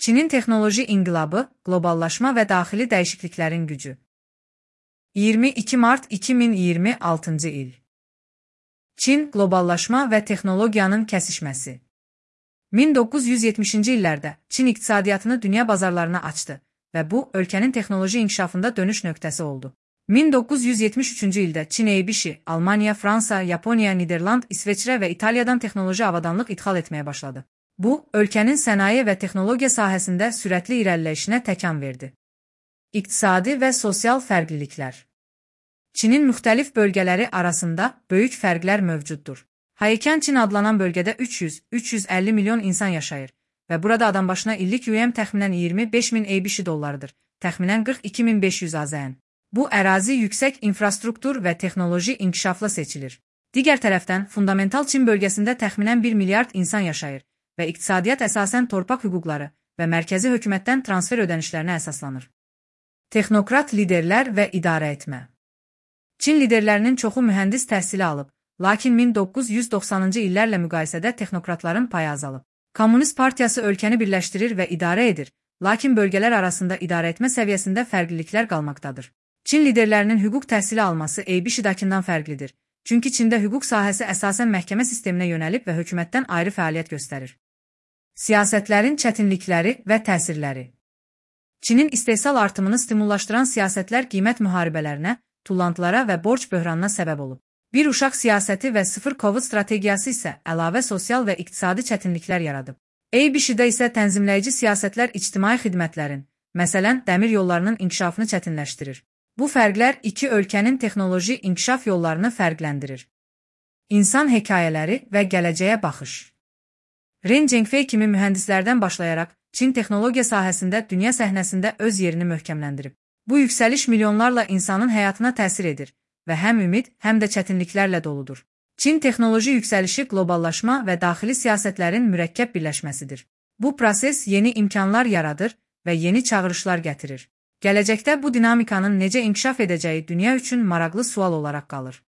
Çinin texnoloji inqilabı, qloballaşma və daxili dəyişikliklərin gücü. 22 mart 2026-cı il. Çin, qloballaşma və texnologiyanın kəsişməsi. 1970-ci illərdə Çin iqtisadiyyatını dünya bazarlarına açdı və bu, ölkənin texnoloji inkişafında dönüş nöqtəsi oldu. 1973-cü ildə Çin Eybişi, Almaniya, Fransa, Yaponiya, Niderland, İsveçrə və İtaliyadan texnoloji avadanlıq ixal etməyə başladı. Bu, ölkənin sənaye və texnologiya sahəsində sürətli irəliləyişinə təkan verdi. İqtisadi və sosial fərqliliklər. Çinin müxtəlif bölgələri arasında böyük fərqlər mövcuddur. Haikən Çin adlanan bölgədə 300-350 milyon insan yaşayır və burada adambaşına illik UM təxminən 25.000 Eybişi dollarıdır, təxminən 42.500 AZN. Bu ərazi yüksək infrastruktur və texnoloji inkişafla seçilir. Digər tərəfdən, fundamental Çin bölgəsində təxminən 1 milyard insan yaşayır və iqtisadiyyat əsasən torpaq hüquqları və mərkəzi hökumətdən transfer ödənişlərinə əsaslanır. Texnokrat liderlər və idarə etmə. Çin liderlərinin çoxu mühəndis təhsili alıb, lakin 1990-cı illərlə müqayisədə texnokratların payı azalıb. Kommunist partiyası ölkəni birləşdirir və idarə edir, lakin bölgələr arasında idarə etmə səviyyəsində fərqliliklər qalmaqdadır. Çin liderlərinin hüquq təhsili alması Eybişidakindən fərqlidir, çünki Çində hüquq sahəsi əsasən məhkəmə sisteminə yönəlib və hökumətdən ayrı fəaliyyət göstərir. Siyasətlərin çətinlikləri və təsirləri. Çinin istehsal artımını stimullaşdıran siyasətlər qiymət müharibələrinə, tullantılara və borc böhranına səbəb olub. Bir uşaq siyasəti və sıfır COVID strategiyası isə əlavə sosial və iqtisadi çətinliklər yaradıb. Eybişidə isə tənzimləyici siyasətlər ictimai xidmətlərin, məsələn, dəmir yollarının inkişafını çətinləşdirir. Bu fərqlər iki ölkənin texnoloji inkişaf yollarını fərqləndirir. İnsan hekayələri və gələcəyə baxış. Ren Zhengfei kimi mühəndislərdən başlayaraq Çin texnologiya sahəsində dünya səhnəsində öz yerini möhkəmləndirib. Bu yüksəliş milyonlarla insanın həyatına təsir edir və həm ümid, həm də çətinliklərlə doludur. Çin texnoloji yüksəlişi qloballaşma və daxili siyasətlərin mürəkkəb birləşməsidir. Bu proses yeni imkanlar yaradır və yeni çağırışlar gətirir. Gələcəkdə bu dinamikanın necə inkişaf edəcəyi dünya üçün maraqlı sual olaraq qalır.